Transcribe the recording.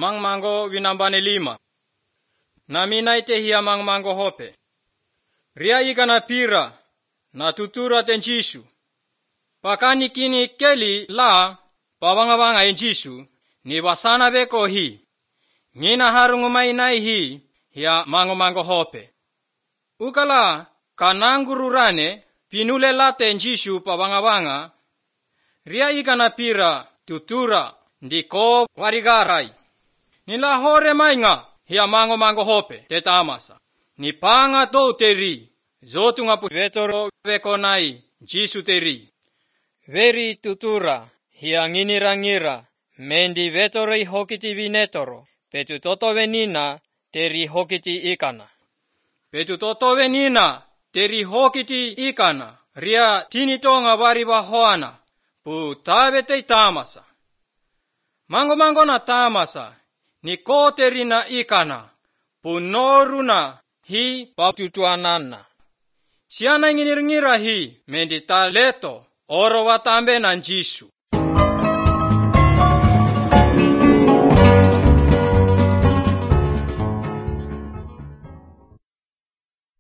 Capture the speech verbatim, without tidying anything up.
mangmango winambane lima. Na minaite hiya mangmango hope. Ria ikana pira na tutura tenjisu. Pakani kini keli la pawangawanga enjisu ni wasana beko hi. Ngina harungumai nai hi hiya mango mango hope. Ukala kanangururane pinule late enjisu pawangawanga. Ria ikana pira tutura ndiko warigarai. Nila hore mainga hiya mango mango hope te tamasa. Ni panga to teri. Zotunga pu vetoro vekonai jisu teri. Veri tutura hiya nginira ngira. Mendi vetori hokiti vinetoro. Petu toto venina teri hokiti ikana. Petu toto venina teri hokiti ikana. Ria tinitonga wariwa hoana. Pu tavete tamasa. Mango mango na tamasa. Ni koteri na ikana. Pu noruna hi paututuanana. Siana nginir ngira hi mendi taleto oro watambe na njisu.